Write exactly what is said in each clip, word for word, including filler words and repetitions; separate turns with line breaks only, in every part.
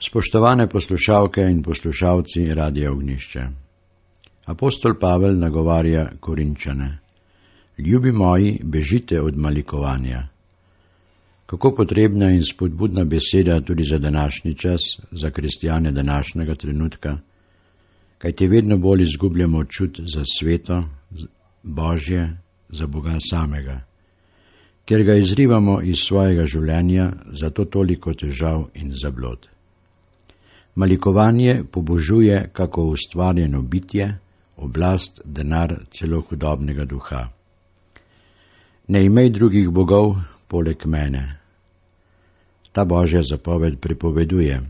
Spoštovane poslušalke in poslušalci Radia Ognjišče. Apostol Pavel nagovarja Korinčane. Ljubi moji, bežite od malikovanja. Kako potrebna in spodbudna beseda tudi za današnji čas, za kristjane današnjega trenutka, kajti vedno bolj izgubljamo čut za sveto, Božje, za Boga samega, ker ga izrivamo iz svojega življenja, zato toliko težav in zablod. Malikovanje pobožuje kako ustvarjeno bitje, oblast, denar, celo hudobnega duha. Ne imej drugih bogov poleg mene. Ta Božja zapoved prepoveduje.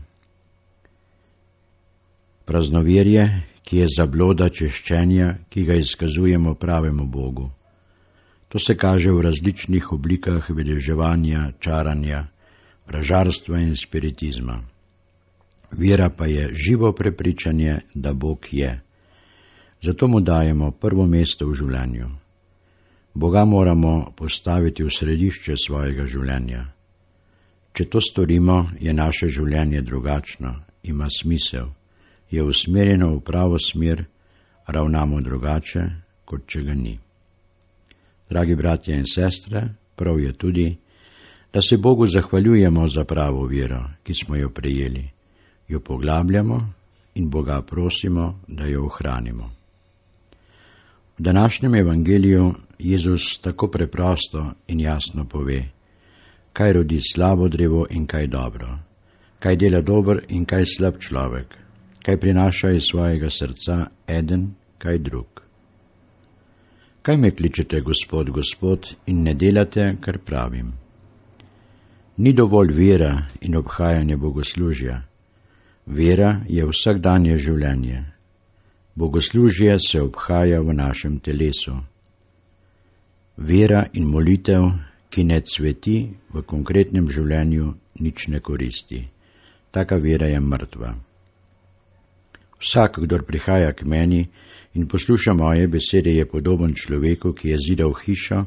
Praznoverje, ki je zabloda češčenja, ki ga izkazujemo pravemu Bogu. To se kaže v različnih oblikah vedeževanja, čaranja, vražarstva in spiritizma. Vera pa je živo prepričanje, da Bog je. Zato mu dajemo prvo mesto v življenju. Boga moramo postaviti v središče svojega življenja. Če to storimo, je naše življenje drugačno, ima smisel, je usmerjeno v pravo smer, ravnamo drugače, kot če ga ni. Dragi bratje in sestre, prav je tudi, da se Bogu zahvaljujemo za pravo vero, ki smo jo prejeli, jo poglabljamo in Boga prosimo, da jo ohranimo. V današnjem evangeliju Jezus tako preprosto in jasno pove, kaj rodi slabo drevo in kaj dobro, kaj dela dober in kaj slab človek, kaj prinaša iz svojega srca eden, kaj drug. Kaj me kličete, Gospod, Gospod, in ne delate, kar pravim? Ni dovolj vera in obhajanje bogoslužja. Vera je vsakdanje življenje. Bogoslužje se obhaja v našem telesu. Vera in molitev, ki ne cveti, v konkretnem življenju nič ne koristi. Taka vera je mrtva. Vsak, kdor prihaja k meni in posluša moje besede, je podoben človeku, ki je zidal hišo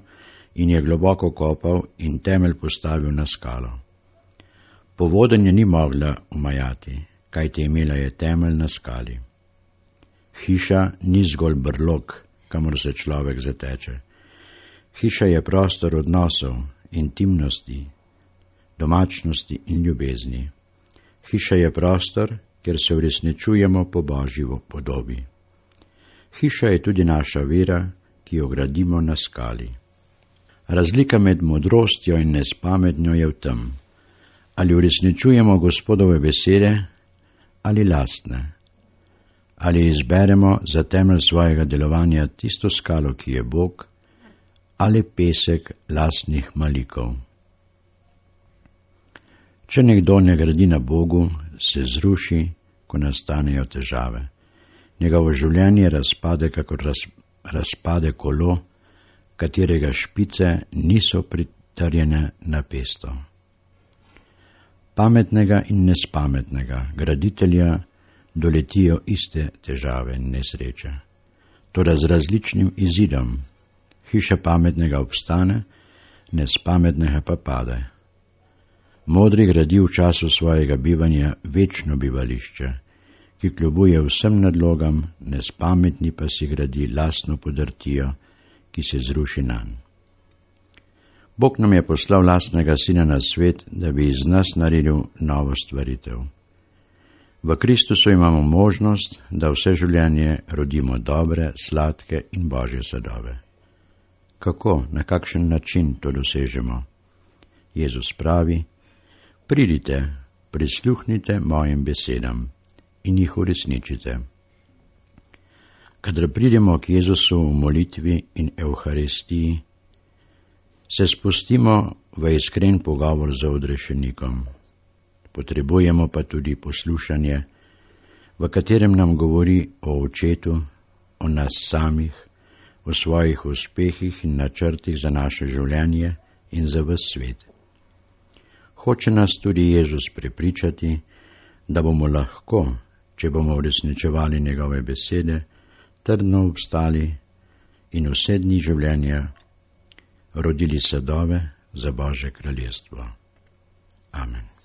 in je globoko kopal in temelj postavil na skalo. Povodenje ni mogla umajati, kajti imela je temelj na skali. Hiša ni zgolj brlog, kamor se človek zateče. Hiša je prostor odnosov, intimnosti, domačnosti in ljubezni. Hiša je prostor, kjer se uresničujemo po Božji podobi. Hiša je tudi naša vera, ki jo gradimo na skali. Razlika med modrostjo in nespametnjo je v tem, ali uresničujemo Gospodove besede ali lastne, ali izberemo za temelj svojega delovanja tisto skalo, ki je Bog, ali pesek lastnih malikov. Če nekdo ne gradi na Bogu, se zruši, ko nastanejo težave. Njegovo življenje razpade, kakor raz, razpade kolo, katerega špice niso pritrjene na pesto. Pametnega in nespametnega graditelja doletijo iste težave in nesreče, toda z različnim izidom. Hiša pametnega obstane, nespametnega pa pade. Modri gradi v času svojega bivanja večno bivališče, ki kljubuje vsem nadlogam, nespametni pa si gradi lastno podrtijo, ki se zruši nanj. Bog nam je poslal lastnega sina na svet, da bi iz nas naredil novo stvaritev. V Kristusu imamo možnost, da vse življenje rodimo dobre, sladke in Božje sadove. Kako, na kakšen način to dosežemo? Jezus pravi, pridite, prisluhnite mojim besedam in jih uresničite. Kadar pridemo k Jezusu v molitvi in evharistiji, se spustimo v iskren pogovor z odrešenikom. Potrebujemo pa tudi poslušanje, v katerem nam govori o Očetu, o nas samih, o svojih uspehih in načrtih za naše življenje in za ves svet. Hoče nas tudi Jezus prepričati, da bomo lahko, če bomo uresničevali njegove besede, trdno obstali in vse dni življenja rodili sadove za Božje kraljestvo. Amen.